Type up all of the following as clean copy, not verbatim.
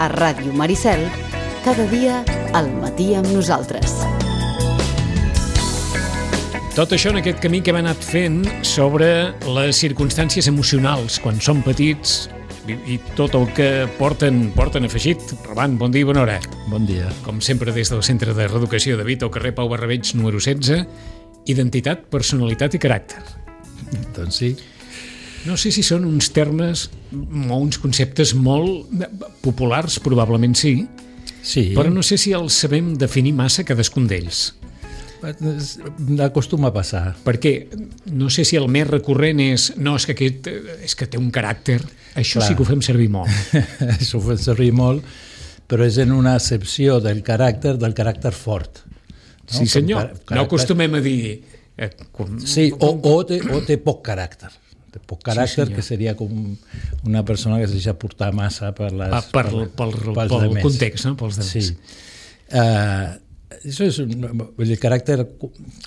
a Ràdio Maricel, cada dia al matí amb nosaltres. Tot això en aquest camí que hem anat fent sobre les circumstàncies emocionals quan som petits i tot el que porten afegit. Roman, bon dia i bona hora. Bon dia. Com sempre des del Centre de Reeducació de Vita, al carrer Pau Barrabeig, número 16, identitat, personalitat i caràcter. Doncs sí. No sé si són uns termes o uns conceptes molt populars, probablement sí, però no sé si els sabem definir massa cadascun d'ells. Acostuma a passar. Perquè no sé si el més recurrent és és que aquest és que té un caràcter. Això clar. Sí que ho fem servir molt. Això ho fem servir molt, però és en una accepció del caràcter fort. No? Sí, senyor. No acostumem a dir... Sí, o té poc caràcter. Té poc caràcter, sí, que seria com una persona que es deixa portar massa pel context, no? Pels demés. Sí. Això és el caràcter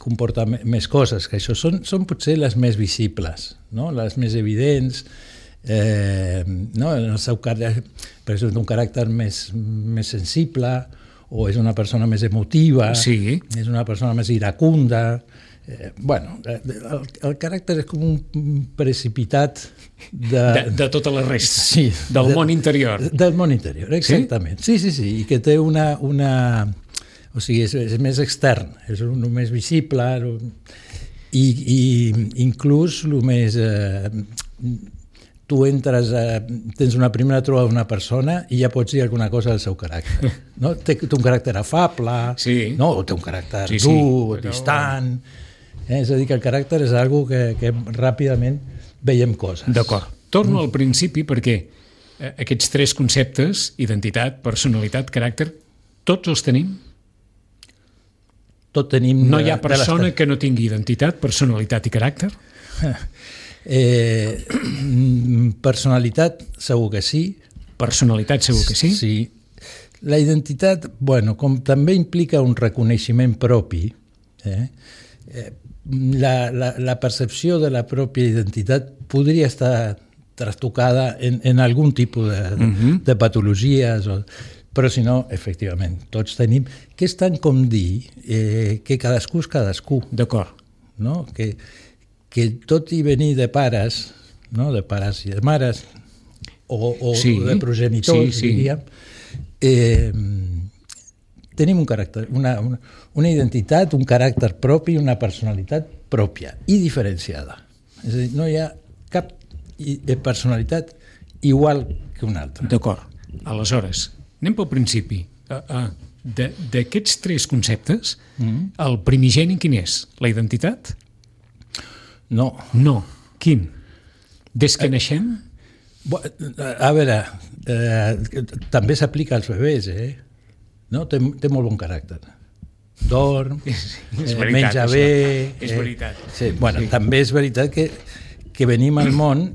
comporta més coses, que això són potser les més visibles, no? Les més evidents, no? En el seu caràcter, per exemple, un caràcter més sensible, o és una persona més emotiva, sí. És una persona més iracunda. El caràcter és com un precipitat de tota la resta, sí, del món interior. Del món interior, exactament. Sí, i que té una o sigui, és més extern, és el més visible i inclús el més... Tu entres, tens una primera trobada d'una persona i ja pots dir alguna cosa del seu caràcter. No? Té un caràcter afable, sí. No? O té un caràcter dur, distant... És a dir, que el caràcter és una cosa que ràpidament veiem coses. D'acord. Torno al principi perquè aquests tres conceptes, identitat, personalitat, caràcter, tots els tenim? Tot tenim... No hi ha persona que no tingui identitat, personalitat i caràcter? Personalitat, segur que sí. Personalitat, segur que sí? Sí. La identitat, com també implica un reconeixement propi, la percepció de la pròpia identitat podria estar trastocada en algun tipus de patologies, però si no, efectivament, tots tenim, que és tant com dir que cadascú és cadascú. D'acord. No? Que tot i venir de pares, no? De pares i de mares, o sí, de progenitors, sí. diríem, tenim un caràcter, una identitat, un caràcter propi, una personalitat pròpia i diferenciada. És a dir, no hi ha cap personalitat igual que una altra. D'acord. Aleshores, anem pel principi. D'aquests tres conceptes, el primigeni quin és? La identitat? No. Quin? Des que naixem? A veure, també s'aplica als bebès, no? Té molt bon caràcter. Dorm, menja bé... És veritat. Sí. També és veritat que venim al món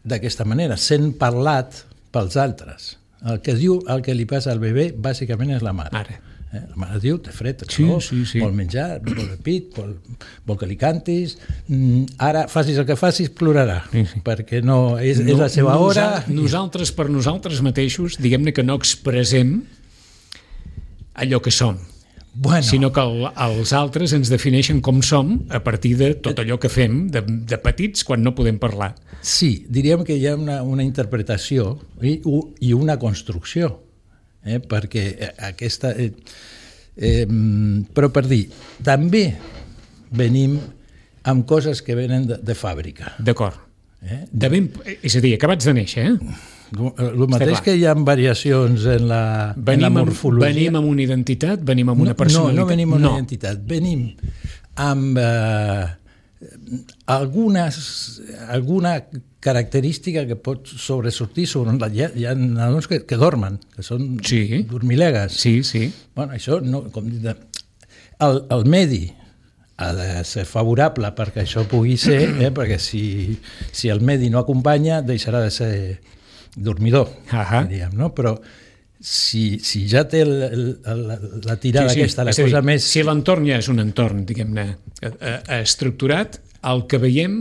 d'aquesta manera, sent parlat pels altres. El que diu el que li passa al bebè bàsicament és la mare. La mare diu, té fred, vol menjar, vol pit, vol que li cantis, ara facis el que facis, plorarà, perquè no és la seva hora. Nosaltres, per nosaltres mateixos, diguem-ne que no expressem allò que som, sinó que els altres ens defineixen com som a partir de tot allò que fem de petits quan no podem parlar. Sí, diríem que hi ha una interpretació i una construcció, perquè aquesta... però per dir, també venim amb coses que venen de fàbrica. D'acord. És a dir, acabats de néixer, El mateix que hi ha variacions en la morfologia. Venim amb una identitat, venim amb una personalitat? No venim amb una identitat, venim amb alguna característica que pot sobresortir sobre... Hi ha nadons que dormen, que són dormilegues. Sí. Això, com dir, el medi ha de ser favorable perquè això pugui ser, perquè si el medi no acompanya deixarà de ser dormidor, diríem, no? Però si ja té la tirada aquesta, la cosa més... Si l'entorn ja és un entorn, diguem-ne, estructurat, el que veiem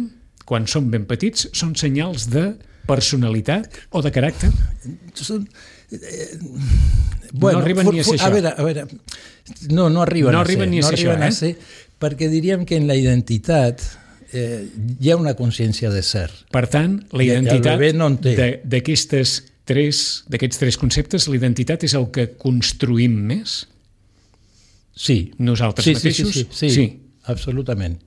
quan som ben petits són senyals de personalitat o de caràcter? Bueno, no arriben ni a ser això. A veure, no arriben ni a ser això, perquè diríem que en la identitat hi ha una consciència de ser. Per tant, la identitat d'aquests tres conceptes, la identitat és el que construïm més? Sí. Nosaltres mateixos? Sí, absolutament.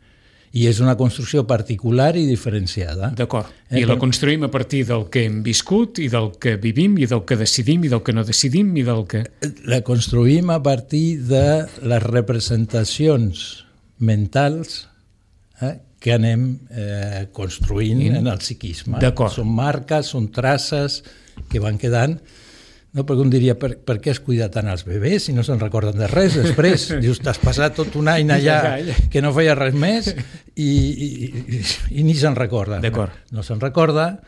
I és una construcció particular i diferenciada. D'acord. I la construïm a partir del que hem viscut i del que vivim i del que decidim i del que no decidim i del que... La construïm a partir de les representacions mentals que anem construint en el psiquisme. D'acord. Són marques, són traces que van quedant. No, perquè un diria, per què has cuidat tant els bebès si no se'n recorden de res després? Dius, t'has passat tot un any allà que no feia res més i ni se'n recorda. D'acord. No se'n recorda,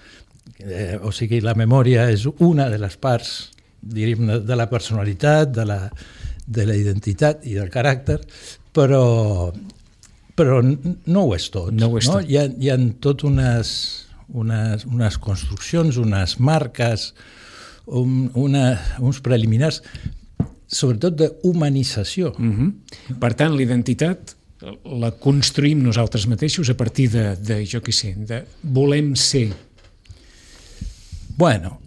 o sigui, la memòria és una de les parts, diríem, de la personalitat, de la identitat i del caràcter, però no ho és tot. No ho és tot. Hi ha tot unes construccions, unes marques, uns preliminars, sobretot d'humanització. Per tant, l'identitat la construïm nosaltres mateixos a partir de jo què sé, de volem ser. Bueno,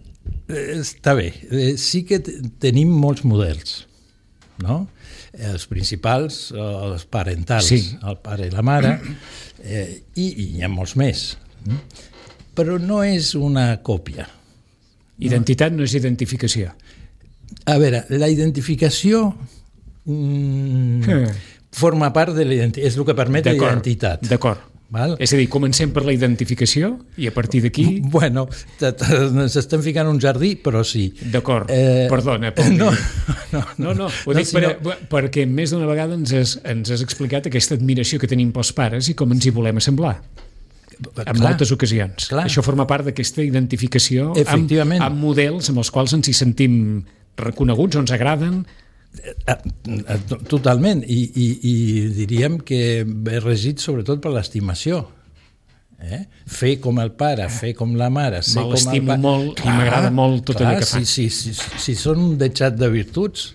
està bé. Sí que tenim molts models, no? Els principals, els parentals, el pare i la mare, i hi ha molts més. Però no és una còpia. Identitat no és identificació. A veure, la identificació forma part de l'identitat, és el que permet la identitat. D'acord. És a dir, comencem per la identificació i a partir d'aquí... Bueno, s'estem ficant un jardí, però sí. D'acord, perdona. No, ho dic perquè més d'una vegada ens has explicat aquesta admiració que tenim pels pares i com ens hi volem assemblar. En moltes ocasions. Això forma part d'aquesta identificació amb models amb els quals ens hi sentim reconeguts o ens agraden. Totalment, i diríem que ve regit sobretot per l'estimació. Fer com el pare, fer com la mare, ser com el pare. M'estimo molt i m'agrada molt tot allò que fa. Si són un deixat de virtuts,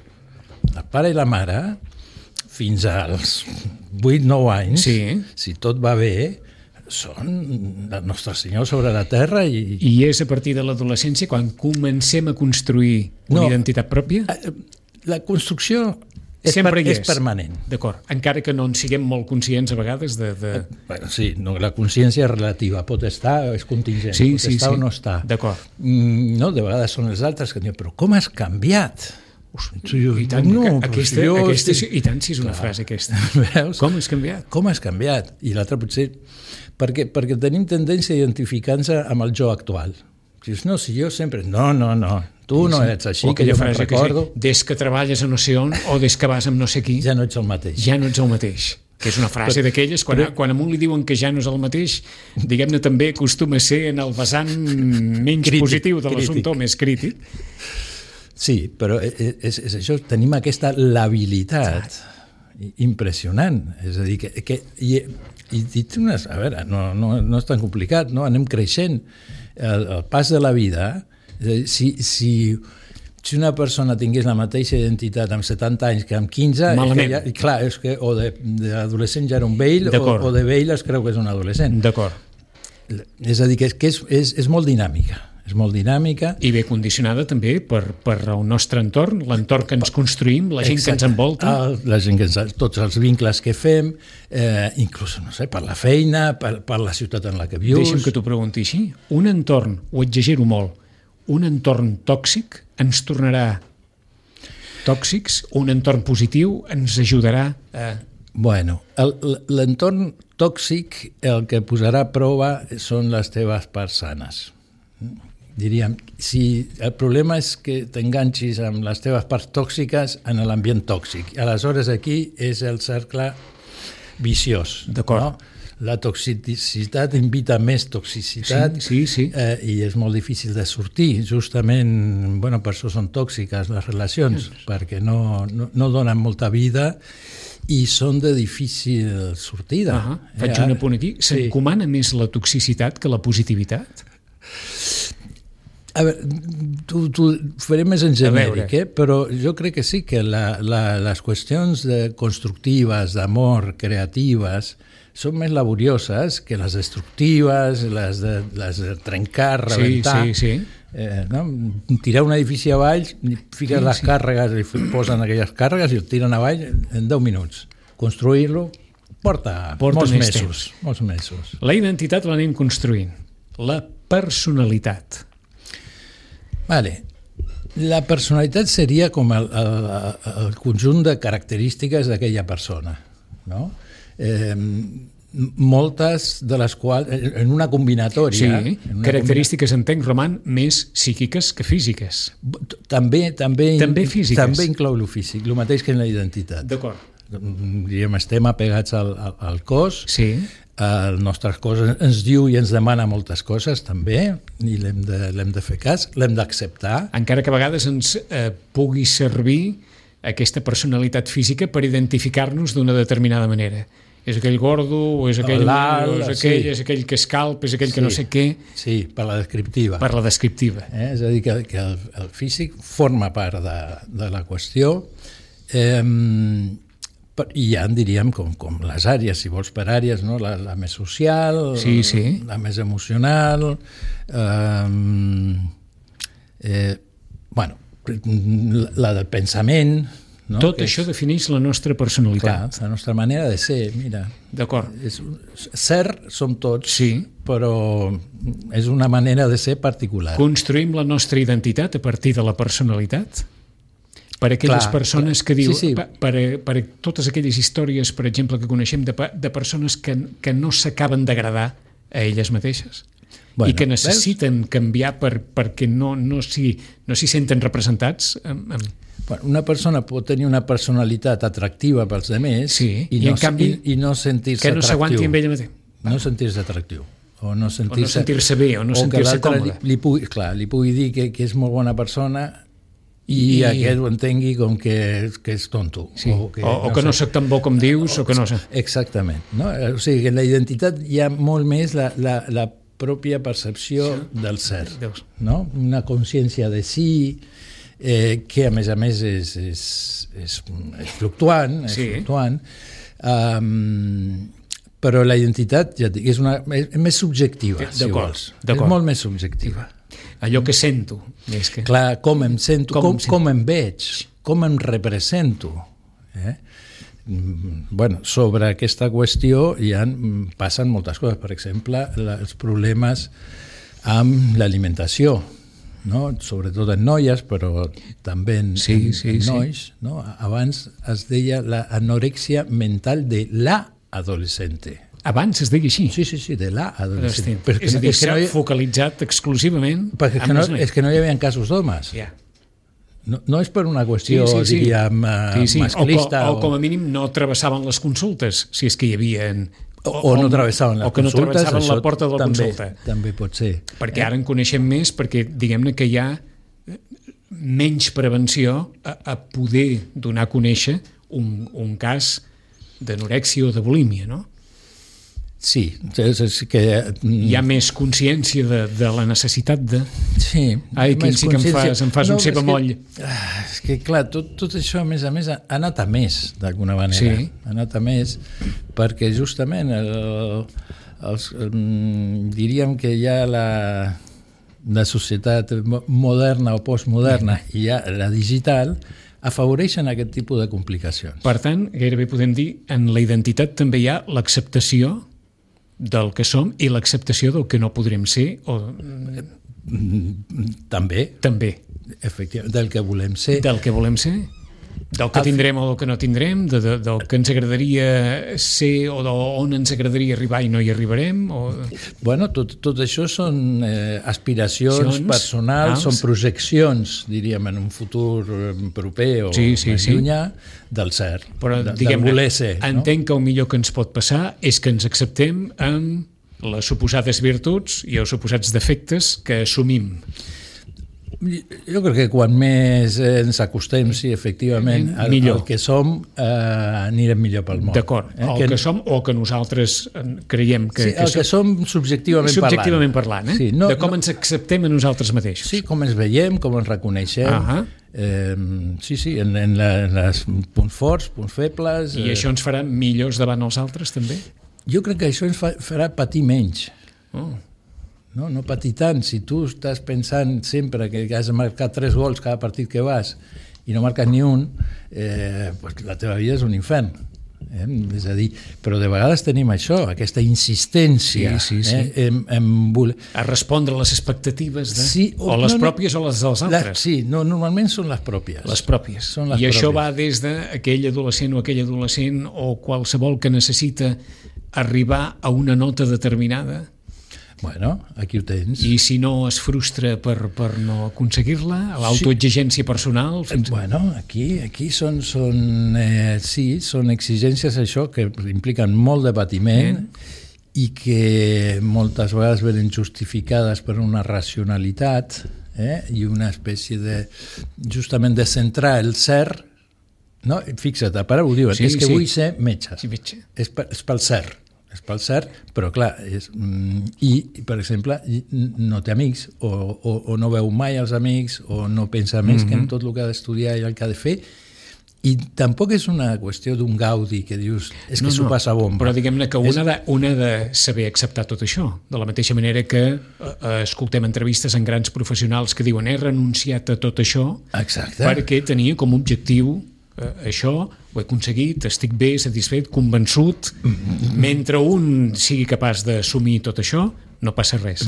el pare i la mare, fins als 8-9 anys, si tot va bé, són el nostre Senyor sobre la terra. I és a partir de l'adolescència quan comencem a construir una identitat pròpia? La construcció és permanent. D'acord, encara que no en siguem molt conscients a vegades de... Sí, la consciència és relativa, pot estar, és contingent, pot estar o no estar. D'acord. No, de vegades són els altres que diuen, però com has canviat? I tant, i tant si és una frase aquesta. Com has canviat? Com has canviat? I l'altre potser... Perquè tenim tendència a identificar-nos amb el jo actual. Dius, no, si jo sempre... No, tu no ets així, que jo me'n recordo. Des que treballes a no sé on o des que vas amb no sé qui... Ja no ets el mateix. Ja no ets el mateix. Que és una frase d'aquelles, quan a un li diuen que ja no és el mateix, diguem-ne també acostuma a ser en el vessant menys positiu de l'assumpte o més crític. Sí, però és això, tenim aquesta labilitat impressionant. És a dir, i a veure, no és tan complicat, no? Anem creixent. El pas de la vida, si una persona tingués la mateixa identitat amb 70 anys que amb 15, clar, és que o d'adolescent ja era un vell o de vell es creu que és un adolescent. D'acord. És a dir, que és molt dinàmica. És molt dinàmica. I ve condicionada també per el nostre entorn, l'entorn que ens construïm, la gent que ens envolta. La gent tots els vincles que fem, inclús, no sé, per la feina, per la ciutat en la que vius. Deixa'm que t'ho pregunti així. Un entorn, ho exagero molt, un entorn tòxic ens tornarà tòxics, un entorn positiu ens ajudarà a... Bueno, l'entorn tòxic el que posarà a prova són les teves parts sanes. Diríem, si el problema és que t'enganxis amb les teves parts tòxiques en l'ambient tòxic. Aleshores aquí és el cercle viciós. D'acord. No? La toxicitat invita més toxicitat i és molt difícil de sortir. Justament, per això són tòxiques les relacions, perquè no donen molta vida i són de difícil sortida. Faig un apunt aquí. S'encomana més la toxicitat que la positivitat? A veure, t'ho faré més en genèric, però jo crec que sí que les qüestions constructives, d'amor, creatives, són més laborioses que les destructives, les de trencar, rebentar. Sí. No? Tirar un edifici avall, fiques les càrregues i posen aquelles càrregues i el tiren avall en 10 minuts. Construir-lo porta molts mesos. La identitat l'anem construint. La personalitat. Vale. La personalitat seria com el conjunt de característiques d'aquella persona, no? Moltes de les quals, en una combinatòria... Sí, característiques, entenc, Roman, més psíquiques que físiques. També físiques. També inclou el físic, el mateix que en la identitat. D'acord. Diríem, estem apegats al cos, sí. El nostre cos ens diu i ens demana moltes coses també, i l'hem de fer cas, l'hem d'acceptar. Encara que a vegades ens pugui servir aquesta personalitat física per identificar-nos d'una determinada manera. És aquell gordo, o és aquell és aquell que és calp, és aquell que no sé què. Sí, per la descriptiva. Per la descriptiva. És a dir, que el físic forma part de la qüestió. I ja en diríem com les àrees, si vols per àrees, no? La més social, la més emocional, la del pensament. No? Tot això defineix la nostra personalitat. Clar, la nostra manera de ser, mira. D'acord. Ser som tots, però és una manera de ser particular. Construïm la nostra identitat a partir de la personalitat? Per aquelles persones que diu, per totes aquelles històries, per exemple, que coneixem de persones que no s'acaben d'agradar a elles mateixes i que necessiten canviar perquè no s'hi senten representats. Una persona pot tenir una personalitat atractiva pels altres i no sentir-se atractiu. Que no s'aguanti amb ella mateix. No sentir-se atractiu. O no sentir-se bé, o no sentir-se còmode. Li pugui dir que és molt bona persona i aquest ho entengui com que és tonto. Sí. O que no soc tan bo com dius, o que no sé. Exactament. No? O sigui, que en la identitat hi ha molt més la pròpia percepció del ser. No? Una consciència de si, que a més és fluctuant, però la identitat, ja dic, és més subjectiva, si vols. És molt més subjectiva. Allò que sento. Clar, com em sento, com em veig, com em represento. Sobre aquesta qüestió passen moltes coses. Per exemple, els problemes amb l'alimentació, no? Sobretot en noies, però també en nois. No? Abans es deia l'anorèxia mental de l'adolescente. Abans es deia així? Sí, de l'adolescent. És a dir, s'ha focalitzat exclusivament... Perquè és que no hi havia casos d'homes. No és per una qüestió, diríem, masclista. O com a mínim no travessaven les consultes, si és que hi havia... O no travessaven les consultes. O que no travessaven la porta de la consulta. També pot ser. Perquè ara en coneixem més, perquè diguem-ne que hi ha menys prevenció a poder donar a conèixer un cas d'anorèxia o de bulímia, no? Sí, és que... Hi ha més consciència de la necessitat de... Sí. Ai, que sí que em fas un ceba moll. És que, clar, tot això, a més, ha anat a més, d'alguna manera. Sí. Ha anat a més, perquè justament diríem que ja la societat moderna o postmoderna i ja la digital afavoreixen aquest tipus de complicacions. Per tant, gairebé podem dir, en la identitat també hi ha l'acceptació del que som i l'acceptació del que no podrem ser o... També. Efectivament, del que volem ser. Del que volem ser. Del que tindrem o del que no tindrem, del que ens agradaria ser o d'on ens agradaria arribar i no hi arribarem. Bueno, tot això són aspiracions personals, són projeccions, diríem, en un futur proper o més llunyà del ser, del voler ser. Entenc que el millor que ens pot passar és que ens acceptem amb les suposades virtuts i els suposats defectes que assumim. Jo crec que quan més ens acostem, sí, efectivament, al que som, anirem millor pel món. D'acord, el que som o que nosaltres creiem que... Sí, el que som subjectivament parlant. Sí, de com ens acceptem a nosaltres mateixos. Sí, com ens veiem, com ens reconeixem. Sí, en els punts forts, punts febles... I això ens farà millors davant els altres, també? Jo crec que això ens farà patir menys. No patir tant. Si tu estàs pensant sempre que has de marcar 3 gols cada partit que vas i no marques ni un, pues la teva vida és un infern. És a dir, però de vegades tenim això, aquesta insistència a respondre a les expectatives o les pròpies o les dels altres. Sí, normalment són les pròpies. Les pròpies. I això va des d'aquell adolescent o aquell adolescent o qualsevol que necessita arribar a una nota determinada. Bueno, aquí ho tens. I si no es frustra per no aconseguir-la, l'autoexigència personal... Bueno, aquí són exigències això que impliquen molt de patiment i que moltes vegades venen justificades per una racionalitat i una espècie de, justament, de centrar el ser. No? Fixa't, a part ho diuen, és que vull ser metge. És pel ser. És pel cert, però clar, i per exemple no té amics o no veu mai els amics o no pensa més que en tot el que ha d'estudiar i el que ha de fer, i tampoc és una qüestió d'un gaudi que dius, és que s'ho passa bomba. Però diguem-ne que una ha de saber acceptar tot això, de la mateixa manera que escoltem entrevistes en grans professionals que diuen he renunciat a tot això perquè tenia com a objectiu això, ho he aconseguit, estic bé, satisfet, convençut. Mentre un sigui capaç d'assumir tot això, no passa res.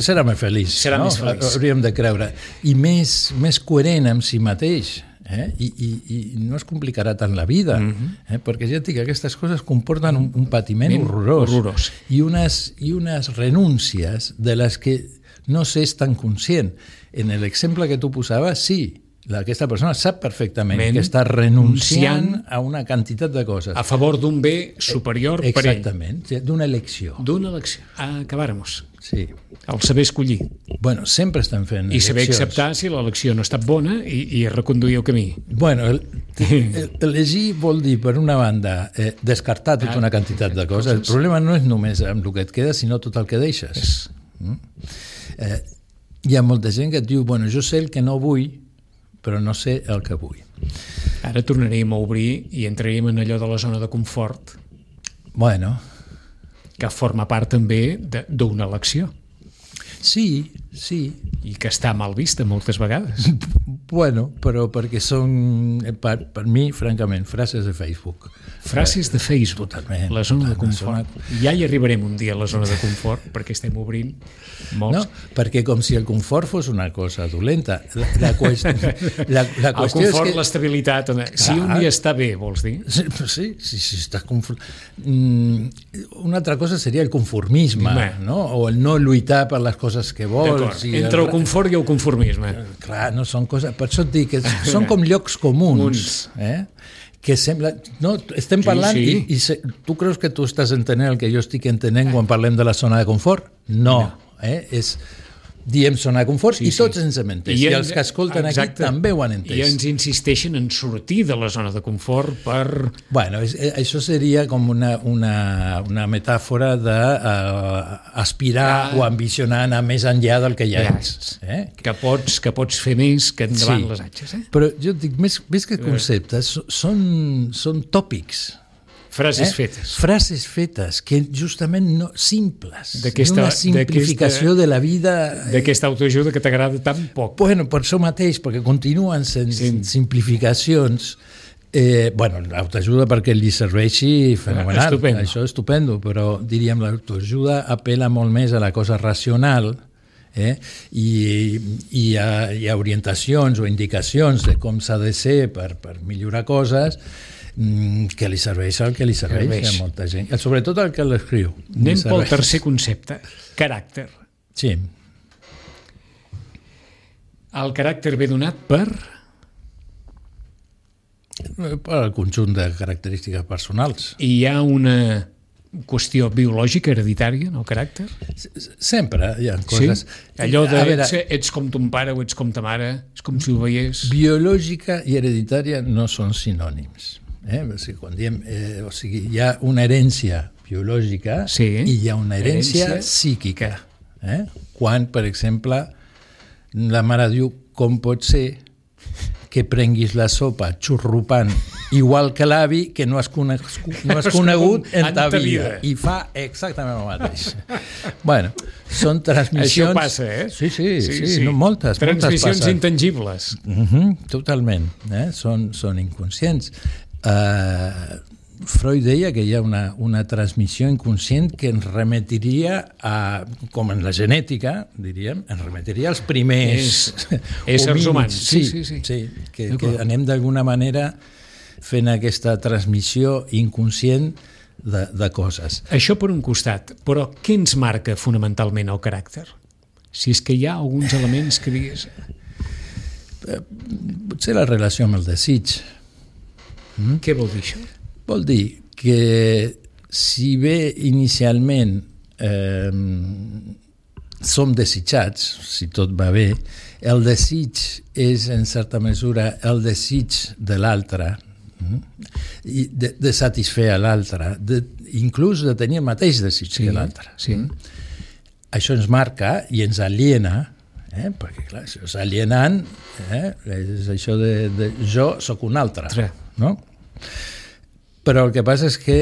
Serà més feliç. Hauríem de creure. I més coherent amb si mateix. I no es complicarà tant la vida, perquè ja et dic, aquestes coses comporten un patiment horrorós. I unes renúncies de les que no s'és tan conscient. En l'exemple que tu posaves, sí, aquesta persona sap perfectament que està renunciant a una quantitat de coses. A favor d'un bé superior per ell. Exactament, d'una elecció. Acabàrem-nos. Sí. El saber escollir. Bueno, sempre estem fent eleccions. I saber acceptar si l'elecció no ha estat bona i reconduir el camí. Bueno, elegir vol dir, per una banda, descartar tota una quantitat de coses. El problema no és només amb el que et queda, sinó tot el que deixes. Hi ha molta gent que et diu, bueno, jo sé el que no vull, però no sé el que vull. Ara tornaríem a obrir i entraríem en allò de la zona de confort. Bueno. Que forma part també d'una elecció. Sí. I que està mal vista moltes vegades. Bueno, però perquè són, per mi, francament, frases de Facebook. Frases de Facebook. Totalment. La zona de confort. Ja hi arribarem un dia a la zona de confort, perquè estem obrint molts. No, perquè com si el confort fos una cosa dolenta. La qüestió el confort, és que... l'estabilitat. Si un dia està bé, vols dir? Sí, estàs confort. Una altra cosa seria el conformisme, no? O el no lluitar per les coses que vols. Entre el confort i el conformisme. Clar, no són coses... Per això et dic que són com llocs comuns. Que sembla... No, estem parlant i tu creus que tu estàs entenent el que jo estic entenent quan parlem de la zona de confort? No. És... Diem zona de confort i tots ens hem entès. I els que escolten aquí també ho han entès. I ens insisteixen en sortir de la zona de confort per... Bueno, això seria com una metàfora d'aspirar o ambicionar anar més enllà del que ja ets. Que pots fer més que endavant les atxes. Però jo dic, més que conceptes, són tòpics. Frases fetes. Frases fetes, que justament no simples. D'una simplificació de la vida... D'aquesta autoajuda que t'agrada tan poc. Bueno, per això mateix, perquè continuen sent simplificacions. L'autoajuda perquè li serveixi fenomenal. Això és estupendo, però diríem l'autoajuda apela molt més a la cosa racional i a orientacions o indicacions de com s'ha de ser per millorar coses que li serveix el que li serveix a molta gent, sobretot el que l'escriu. Anem pel tercer concepte, caràcter. Sí. El caràcter ve donat per el conjunt de característiques personals. I hi ha una qüestió biològica, hereditària, en el caràcter? Sempre hi ha coses... Sí? Allò de ets com ton pare o ets com ta mare, és com si ho veiés... Biològica i hereditària no són sinònims. O sigui, quan diem, hi ha una herència biològica i hi ha una herència psíquica. Quan, per exemple, la mare diu com pot ser que prenguis la sopa xurrupant igual que l'avi que no has conegut en ta vida. I fa exactament el mateix. Bueno, són transmissions... Això passa, Sí. No, moltes transmissions intangibles. Totalment. Són inconscients. Freud deia que hi ha una transmissió inconscient que ens remetiria a, com en la genètica, diríem, ens remetiria als primers éssers humans. Sí, que anem d'alguna manera fent aquesta transmissió inconscient de coses. Això per un costat, però què ens marca fonamentalment el caràcter? Si és que hi ha alguns elements que digues... Potser la relació amb el desig. Què vol dir això? Vol dir que si bé inicialment som desitjats, si tot va bé, el desig és en certa mesura el desig de l'altre, de satisfer a l'altre, inclús de tenir el mateix desig que l'altre. Això ens marca i ens aliena, perquè clar, això és alienant, és això de jo sóc un altre, no? Però el que passa és que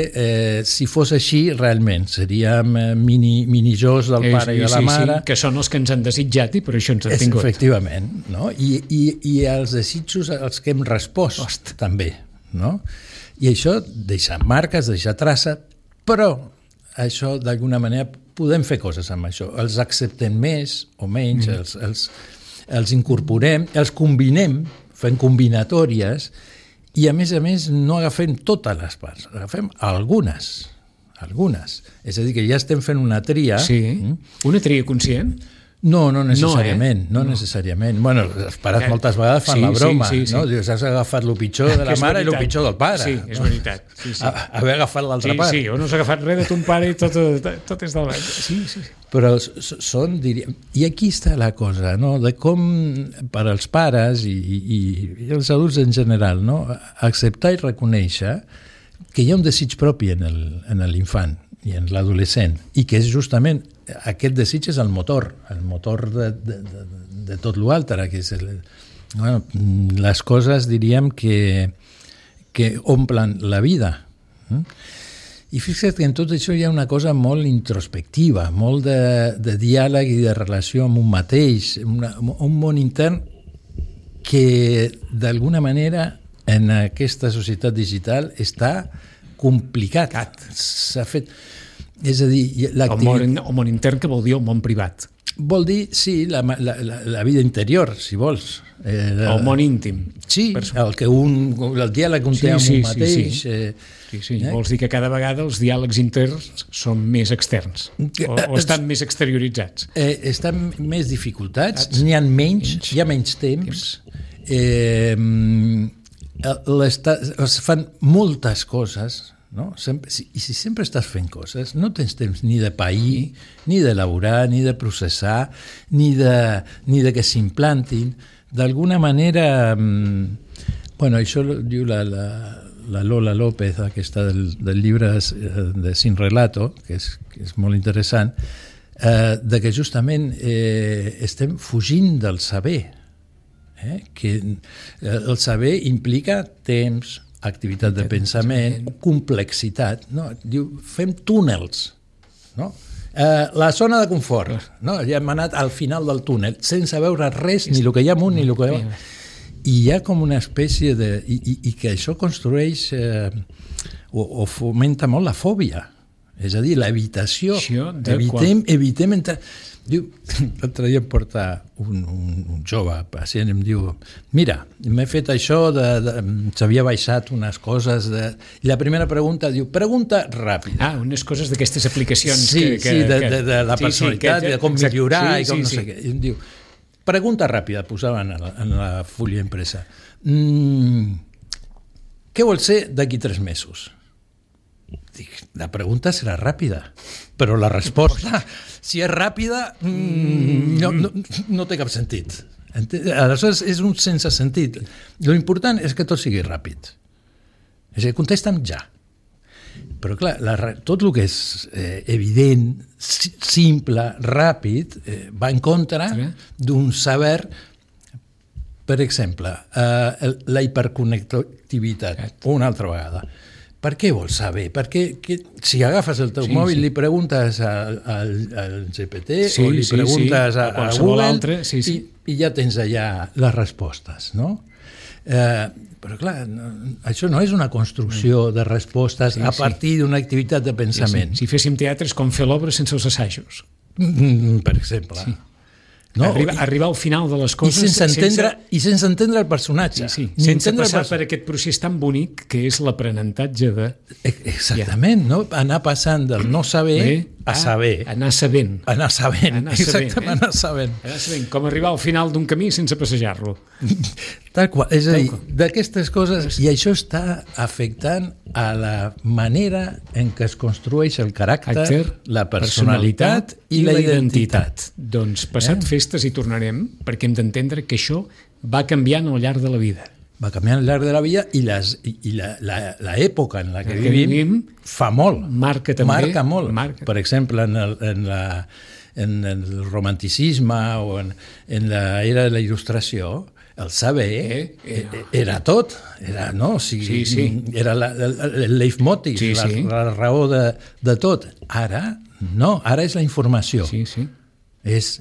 si fos així, realment, seríem mini-jos del pare i de la mare. Sí, que són els que ens han desitjat i per això ens han tingut. Efectivament, no? I els desitjos als que hem respost, també, no? I això deixa marques, deixa traça, però això, d'alguna manera, podem fer coses amb això. Els acceptem més o menys, els incorporem, els combinem, fem combinatòries, i a més, no agafem totes les parts, agafem algunes. És a dir, que ja estem fent una tria. Sí, una tria conscient? No necessàriament. No necessàriament. Bueno, els pares moltes vegades fan la broma, no? Dius, has agafat el pitjor de la mare i el pitjor del pare. Sí, és veritat. Haver agafat l'altra part. Sí, o no s'ha agafat res de ton pare i tot és del... Sí. Però són, diríem... I aquí està la cosa, no? De com, per als pares i els adults en general, no? Acceptar i reconèixer que hi ha un desig propi en l'infant i en l'adolescent, i que és justament aquest desig és el motor de tot l'altre, que és les coses, diríem, que omplen la vida. I fixa't que en tot això hi ha una cosa molt introspectiva, molt de diàleg i de relació amb un mateix, un món intern que d'alguna manera en aquesta societat digital està complicat. S'ha fet... És a dir... El món intern, que vol dir el món privat? Vol dir, sí, la vida interior, si vols. El món íntim. Sí, el diàleg que un té amb un mateix. Sí. Vols dir que cada vegada els diàlegs interns són més externs o estan més exterioritzats? Estan més dificultats, n'hi ha menys, hi ha menys temps. Es fan moltes coses, no? I si sempre estàs fent coses, no tens temps ni de pair, ni d'elaborar, ni de processar, ni de que s'implantin. D'alguna manera, això diu la Lola López, aquesta del llibre de Sin Relato, que és molt interessant, de que justament estem fugint del saber, que el saber implica temps, activitat de pensament, complexitat. No? Diu, fem túnels. No? La zona de confort. No? Ja hem anat al final del túnel, sense veure res, ni el que hi ha amunt, ni el que hi ha... I hi ha com una espècie de... I que això construeix o fomenta molt la fòbia. És a dir, l'evitació. Evitem entrar... Diu, l'altre dia em porta un jove pacient i em diu, mira, m'he fet això, s'havia baixat unes coses, i la primera pregunta diu, pregunta ràpida. Unes coses d'aquestes aplicacions de la personalitat, de com millorar i com no sé què. I em diu, pregunta ràpida, posava en la fulla impresa. Què vols ser d'aquí 3 mesos? La pregunta serà ràpida, però la resposta, si és ràpida, no té cap sentit. Aleshores, és un sense sentit. L'important és que tot sigui ràpid. És a dir, contesta'm ja. Però clar, tot el que és evident, simple, ràpid, va en contra d'un saber. Per exemple, la hiperconnectivitat, una altra vegada. Per què vols saber? Perquè si agafes el teu mòbil, li preguntes al GPT o li preguntes a Google i ja tens allà les respostes, no? Però clar, això no és una construcció de respostes a partir d'una activitat de pensament. Si féssim teatre és com fer l'obra sense els assajos. Per exemple. Sí. No? Arribar al final de les coses i sense entendre el personatge. Sense passar per aquest procés tan bonic que és l'aprenentatge de... Exactament, no? Anar passant del no saber a saber. Anar sabent. Exactament, anar sabent. Com arribar al final d'un camí sense passejar-lo. Tal qual. És a dir, d'aquestes coses, i això està afectant a la manera en què es construeix el caràcter, la personalitat i la identitat. Doncs passat festes hi tornarem, perquè hem d'entendre que això va canviant al llarg de la vida. Va canviant al llarg de la vida i l'època en la que vivim fa molt. Marca també. Marca molt. Per exemple, en el romanticisme o en l'era de la il·lustració, el saber era tot, era, no? Era el leitmotiv, la raó de tot. Ara no, ara és la informació. És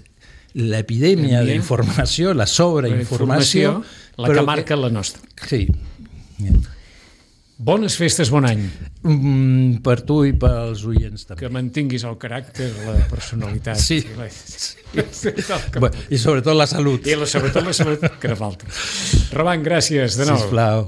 l'epidèmia d'informació, la sobreinformació, la que marca la nostra. Sí. Bones festes, bon any. Per tu i pels oients també. Que mantinguis el caràcter, la personalitat. Sí. I sobretot la salut. I sobretot la salut, que no falti. Roman, gràcies de nou. Sisplau.